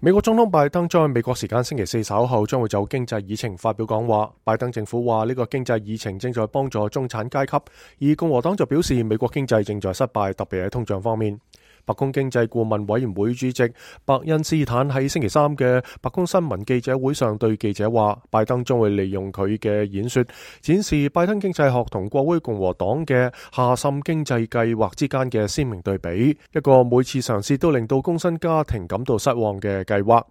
美國總統拜登將喺美國時間星期四稍後將會就經濟議程發表講話。拜登政府話呢個經濟議程正在幫助中產階級，而共和黨就表示美國經濟正在失敗，特別喺通脹方面。白宮經濟顧問委員會主席伯恩斯坦喺星期三嘅白宮新聞記者會上對記者話，拜登將會利用佢嘅演說展示拜登經濟學同國會共和黨嘅下滲經濟計劃之間嘅鮮明對比，一個每次嘗試都令到工薪家庭感到失望嘅計劃。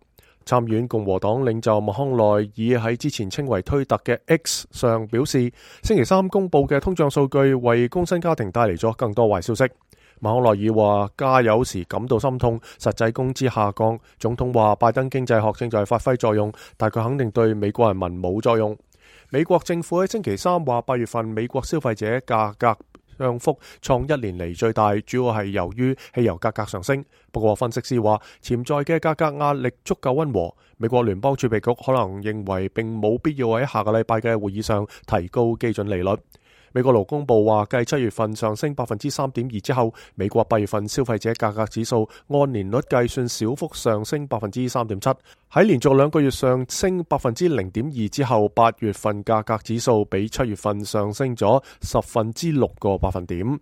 參院共和黨領袖麥康奈爾喺之前稱為推特嘅 X 上表示，星期三公布嘅通脹數據為工薪家庭帶嚟咗更多壞消息。麥康奈爾話加油時感到心痛，實際工資下降。總統話拜登經濟學正在發揮作用，但佢肯定對美國人民冇作用。美國政府喺星期三話8月份美國消費者價格漲幅創1年嚟最大，主要係由於汽油價格上升。不過分析師話潛在嘅價格壓力足夠溫和，美國聯邦儲備局可能認為並冇必要喺下個禮拜嘅會議上提高基準利率。美國勞工部話，繼7月份上升3.2%之後，美國8月份消費者價格指數按年率計算小幅上升3.7%。喺連續2個月上升0.2%之後，8月份價格指數比7月份上升咗6%個百分點。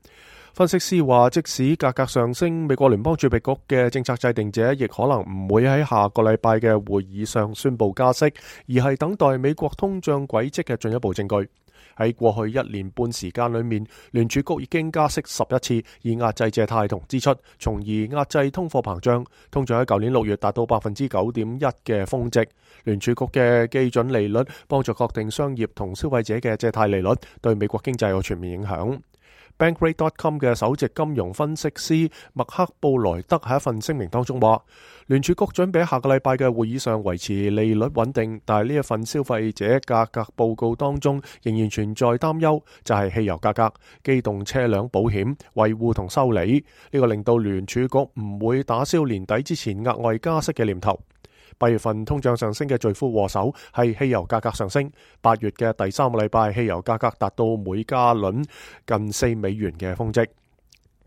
分析師話，即使價格上升，美國聯邦儲備局嘅政策制定者亦可能唔會喺下個禮拜嘅會議上宣布加息，而係等待美國通脹軌跡嘅進一步證據。喺過去1年半時間裏面，聯儲局已經加息11次，以壓制借貸同支出，從而壓制通貨膨脹。通脹喺舊年6月達到9.1%嘅峰值。聯儲局嘅基準利率幫助確定商業同消費者嘅借貸利率，對美國經濟有全面影響。Bankrate.com 嘅首席金融分析師麥克布萊德喺一份聲明當中話，聯儲局準備喺下個禮拜嘅會議上維持利率穩定，但係呢一份消費者價格報告當中仍然存在擔憂，就係汽油價格、機動車輛保險、維護同修理。呢個令到聯儲局唔會打消年底之前額外加息嘅念頭。8月份通脹上升嘅罪魁禍首係汽油價格上升。8月嘅第3個禮拜，汽油價格達到每加侖近4美元嘅峰值。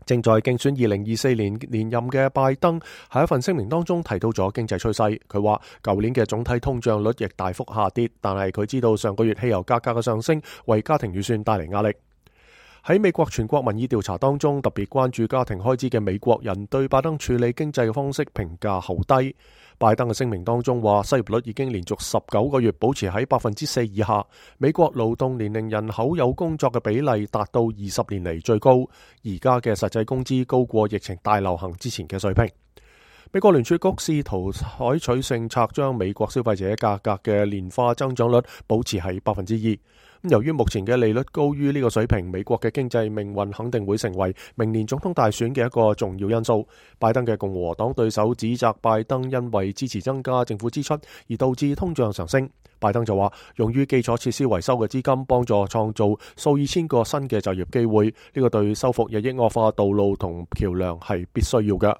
正在競選2024年連任嘅拜登喺一份聲明當中提到咗經濟趨勢。佢話舊年嘅總體通脹率亦大幅下跌，但係佢知道上個月汽油價格嘅上升為家庭預算帶嚟壓力。喺美國全國民意調查當中，特別關注家庭開支嘅美國人對拜登處理經濟嘅方式評價好低。拜登嘅聲明當中話，失業率已經連續19個月保持喺4%以下，美國勞動年齡人口有工作嘅比例達到20年嚟最高，而家嘅實際工資高過疫情大流行之前嘅水平。美國聯儲局試圖採取政策將美國消費者價格嘅年化增長率保持喺2%。由於目前嘅利率高於呢個水平，美國嘅經濟命運肯定會成為明年總統大選嘅一個重要因素。拜登嘅共和黨對手指責拜登因為支持增加政府支出而導致通脹上升。拜登就話，用於基礎設施維修嘅資金幫助創造數以千個新嘅就業機會，呢個對修復日益惡化道路同橋樑係必須要嘅。